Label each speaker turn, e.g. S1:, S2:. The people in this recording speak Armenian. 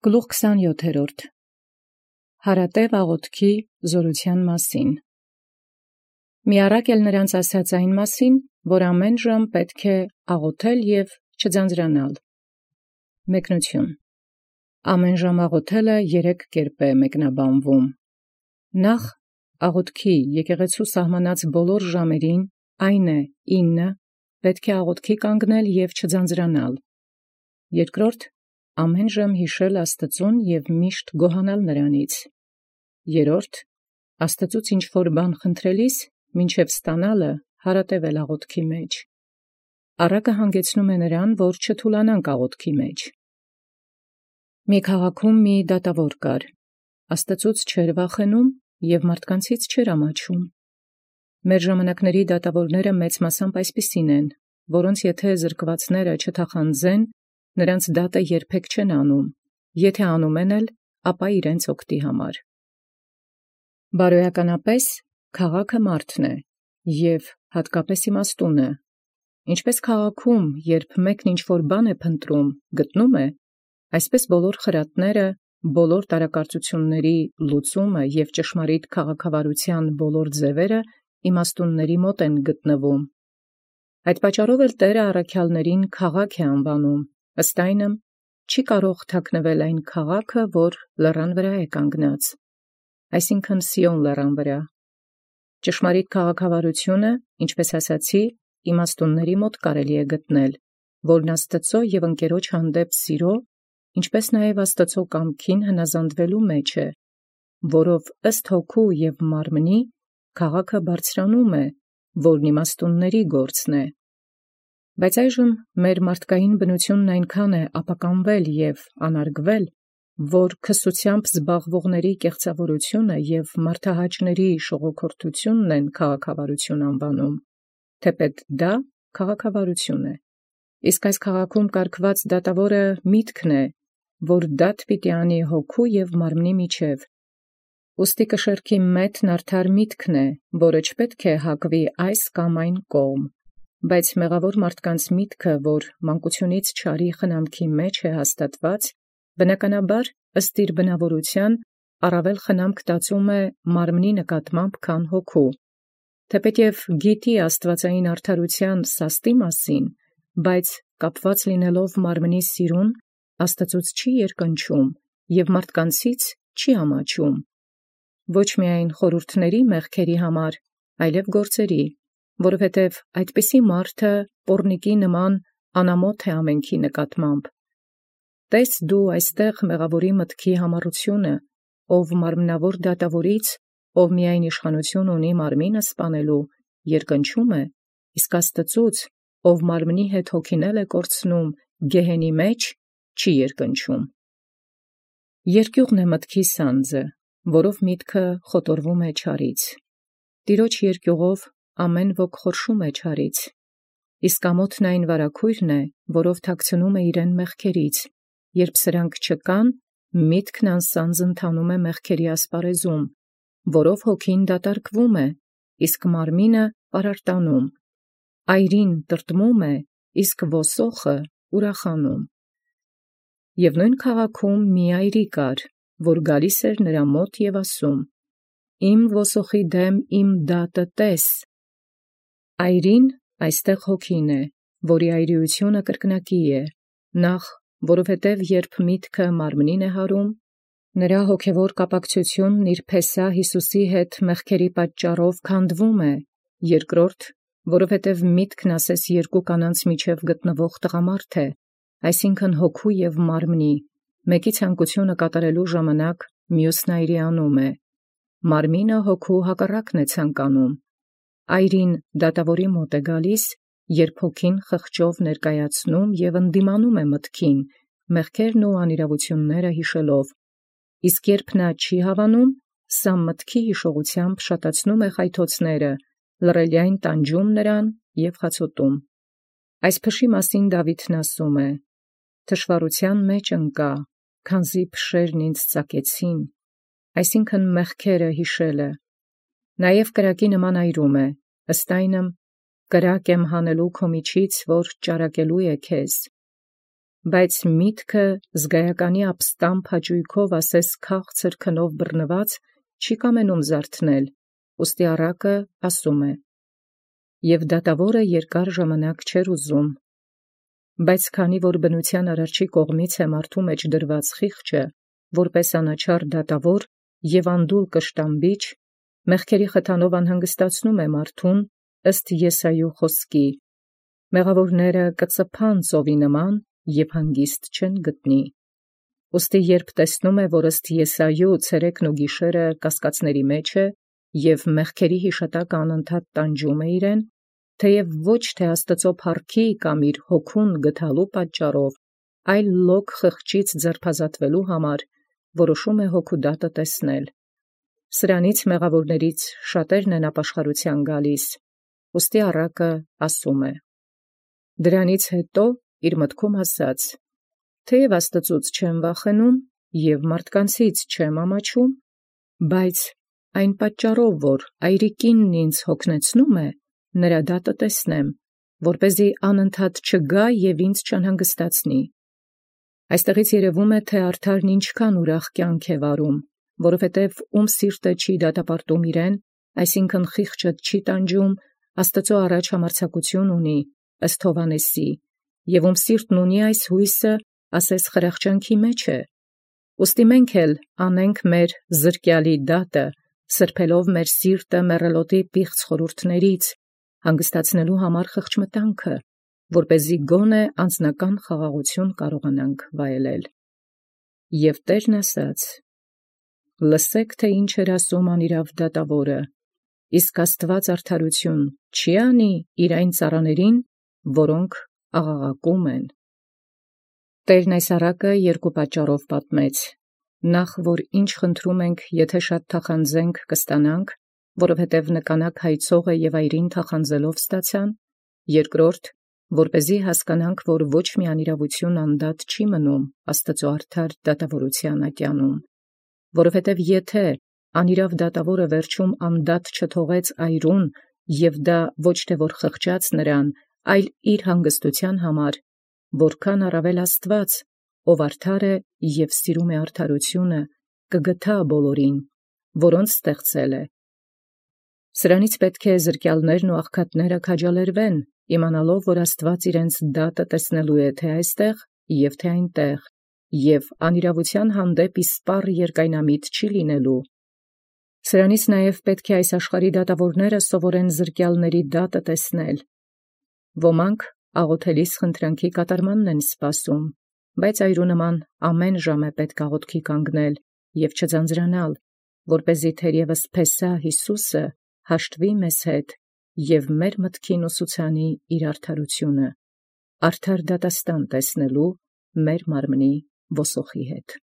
S1: Գլուխ 27. Հարատև աղոթքի զորութեան մասին։ Միառակ էլ նրանց ասաց այն մասին, որ ամեն ժամ պետք է աղոթել և չձանձրանալ։ Մեկնություն. ամեն ժամ աղոթելը երեք կերպ է մեկնաբանվում։ Նախ աղոթքի եկեղեցու սահմանած բոլոր ժամերին, այն է 9, պետք է աղոթքի կանգնել և չձանձրանալ։ Երկրորդ, ամեն ժամ յիշել Աստծուն և միշտ գոհանալ նրանից։ Երրորդ, Աստծուց ինչ-որ բան խնդրելիս, մինչև ստանալը հարատևել աղոթքի մեջ։ Առակը հանգեցնում է նրան, որ չթուլանանք աղոթքի մեջ։ Մի քաղաքում մի դատավոր կար, Աստծուց չէր վախենում և մարդկանցից չէր ամաչում։ Մեր ժամանակների դատավորները մեծ մասամբ այսպիսին են, որոնց եթե զրկվածները չթախանձեն, նրանց դատը երբեք չեն անում, եթե անում են էլ, ապա իրենց օգտի համար։ Բարոյականապես քաղաքը մարդն է, և հատկապես իմաստունը։ Ինչպես քաղաքում, երբ մեկն ինչ-որ բան է փնտրում, գտնում է, այսպես բոլոր խրատները, բոլոր տարակարծությունների լուծումը և ճշմարիտ քաղաքավարության բոլոր ձևերը իմաստունների մոտ են գտնվում։ Այդ պատճառով էլ Տէրը առաքյալներին քաղաք է անվանում, ըստ այնմ, չի կարող թաքնվել այն քաղաքը, որ լեռան վրա է կանգնած, այսինքն Սիոն լեռան վրա։ Ճշմարիտ քաղաքավարությունը, ինչպես ասացի, իմաստունների մոտ կարելի է գտնել, որն Աստծո և ընկերոջ հանդեպ սիրո, ինչպես նաև Աստծո կամքին հնազանդվելու մեջ է, որով ըստ հոգու և մարմնի քաղաքը բարձրանում է, որն իմաստունների գործն է։ Բայց այժմ մեր մարդկային բնությունն այնքան է ապականվել և անարգվել, որ քսությամբ զբաղվողների կեղծավորությունը և մարդահաճների շողոքորթութիւնն են քաղաքավարություն անվանում, թեպետ դա քաղաքավարություն է։ Իսկ այս քաղաքում կարգված դատավորը միտքն է, որ դատ պիտի անի հոգու և մարմնի միջև։ Ուստի կշեռքի մետն արդար միտքն է, որը չպետք է հակվի այս կամ այն կողմ, բայց մեղավոր մարդկանց միտքը, որ մանկությունից չարի խնամքի մեջ է հաստատված, բնականաբար ըստ իր բնավորության առավել խնամք տածում է մարմնի նկատմամբ, քան հոգու։ Թեպետ և գիտի աստուածային արդարութեան սաստի մասին, բայց կապված լինելով մարմնի սիրուն, Աստծուց չի երկնչում և մարդկանցից չի ամաչում։ Ոչ միայն խորհուրդների մեղքերի համար, այլև գործերի, որովհետև այդպիսի մարդը պոռնիկի նման անամոթ է ամենքի նկատմամբ։ Տես դու այստեղ մեղավորի մտքի համառությունը, ով մարմնավոր դատավորից, ով միայն իշխանություն ունի մարմինը սպանելու, երկնչում է, իսկ Աստծուց, ով մարմնի հետ հոգինել է կորցնում գեհենի մեջ, չի երկնչում։ Երկյուղն է մտքի սանձը, որով միտքը խոտորվում է չարից։ Տիրոջ երկյուղով ամեն ոք խորշում է չարից, իսկ ամոթն այն վարագոյրն է, որով թաքցնում է իրեն մեղքերից, երբ սրանք չկան, միտքն անսանձ ընթանում է մեղքերի ասպարեզում, որով հոգին դատարկվում է, իսկ մարմինը պարարտանում, այրին տրտմում է, իսկ ոսոխը ուրախանում։ Եւ նոյն քաղաքում մի այրի կար, որ գալիս էր նրա մոտ և ասում. «Իմ ոսոխի դեմ իմ դատը տես»։ Այրին այստեղ հոգին է, որի այրիությունը կրկնակի է, նախ, որովհետև երբ միտքը մարմնին է հարում, նրա հոգևոր կապակցությունն իր փեսա Յիսուսի հետ մեղքերի պատճառով քանդվում է, երկրորդ, որովհետև միտքն ասես երկու կանանց միջև գտնվող տղամարդ է, այսինքն հոգու և մարմնի, մեկի ցանկությունը կատարելու ժամանակ մյուսն այրիանում է, մարմինը հոգու հակառակն է ցանկանում։ Այրին դատավորի մոտ է գալիս, երբ հոգին խղճով ներկայացնում և ընդդիմանում է մտքին, մեղքերն ու անիրավությունները յիշելով, իսկ երբ նա չի հավանում, սա մտքի յիշողությամբ շատացնում է խայթոցները, լռելյայն տանջում նրան և խացոտում։ Այս փշի մասին Դաւիթն ասում է. «Թշվառութեան մեջ ընկա, քանզի փշերն ինձ ծակեցին», այսինքն մեղքերը յիշելը։ Նաև կրակի նման այրում է, ըստ այնմ, կրակ եմ հանելու քո միջից, որ ճարակելու է քեզ։ բայց միտքը զգայականի ապստամբ հաճույքով ասես քաղցր քնով բռնված չի կամենում զարթնել, ուստի առակը ասում է. և դատավորը երկար ժամանակ չէր ուզում, բայց քանի որ բնության արարչի կողմից է մարդու մեջ դրված խիղճը, որպես անաչառ դատավոր և անդուլ կշտամբիչ, մեղքերի խթանով անհանգստացնում է մարդուն ըստ Եսայու խոսքի. մեղավորները կծփան ծովի նման և հանգիստ չեն գտնի։ Ուստի երբ տեսնում է, որ ըստ Եսայու ցերեկն ու գիշերը կասկածների մեջ է և մեղքերի հիշատակը անընդհատ տանջում է իրեն, թեև ոչ թե Աստծո փառքի կամ իր հոգուն գթալու պատճառով, այլ լոկ խղճից ձերբազատվելու համար, որոշում է հոգու դատը տեսնել։ Սրանից մեղավորներից շատերն են ապաշխարության գալիս, ուստի առակը ասում է. դրանից հետո իր մտքում ասաց. թեև Աստծուց չեմ վախենում և մարդկանցից չեմ ամաչում, բայց այն պատճառով, որ այրիկինն ինձ հոգնեցնում է, նրա դատը տեսնեմ, որպեսզի անընդհատ չգա և ինձ չանհանգստացնի։ Այստեղից երևում է, թե արդարն ինչքան ուրախ կյանք է վարում, որովհետև ում սիրտը չի դատապարտում իրեն, այսինքն խիղճը չի տանջում, Աստծո առաջ համարձակություն ունի, ըստ Հովհաննեսի, և ում սիրտն ունի այս հույսը, ասես խրախճանքի մեջ է։ Ուստի մենք էլ անենք մեր զրկյալի դատը, սրբելով մեր սիրտը մեռելոտի պիղծ խորհուրդներից, հանգստացնելու համար խղճմտանքը, որպեսզի գոնե անձնական խաղաղություն կարողանանք վայելել։ Եվ Տերն ասաց. լսեք, թե ինչ էր ասում անիրավ դատավորը, իսկ Աստված արդարություն չի անի իր այն ծառաներին, որոնք աղաղակում են։ Տերն այս առակը երկու պատճառով պատմեց. նախ, որ ինչ խնդրում ենք, եթե շատ թախանձենք, կստանանք, որովհետև նկանակ հայցողը և այրին թախանձելով ստացան, երկրորդ, որպեսզի հասկանանք, որ ոչ մի անիրավություն անդադր չի մնում Աստծո արդար դատավորության ատյանում, որովհետև եթե անիրավ դատավորը վերջում անդադր չթողեց այրուն, և դա ոչ թե որ խղճաց նրան, այլ իր հանգստության համար, որքան առավել Աստված, ով արդար է և սիրում է արդարությունը, կգթա բոլորին, որոնց ստեղծել է։ Սրանից պետք է զրկյալներն ու աղքատները քաջալերվեն, իմանալով, որ Աստված իրենց դատը տեսնելու է թե այստեղ և թե այնտեղ, և անիրավության հանդեպ իսպառ երկայնամիտ չի լինելու։ Սրանից նաև պետք է այս աշխարհի դատավորները սովորեն զրկյալների դատը տեսնել։ Ոմանք աղոթելիս խնդրանքի կատարմանն են սպասում, բայց այրու նման ամեն ժամ է պետք աղոթքի կանգնել և չձանձրանալ, որպեսզի թերևս Փեսահ Հիսուսը հաշտվի մեզ հետ և մեր մտքին ուսուցանի իր արդարությունը, արդար դատաստան տեսնելու մեր մարմնի ոսոխի հետ։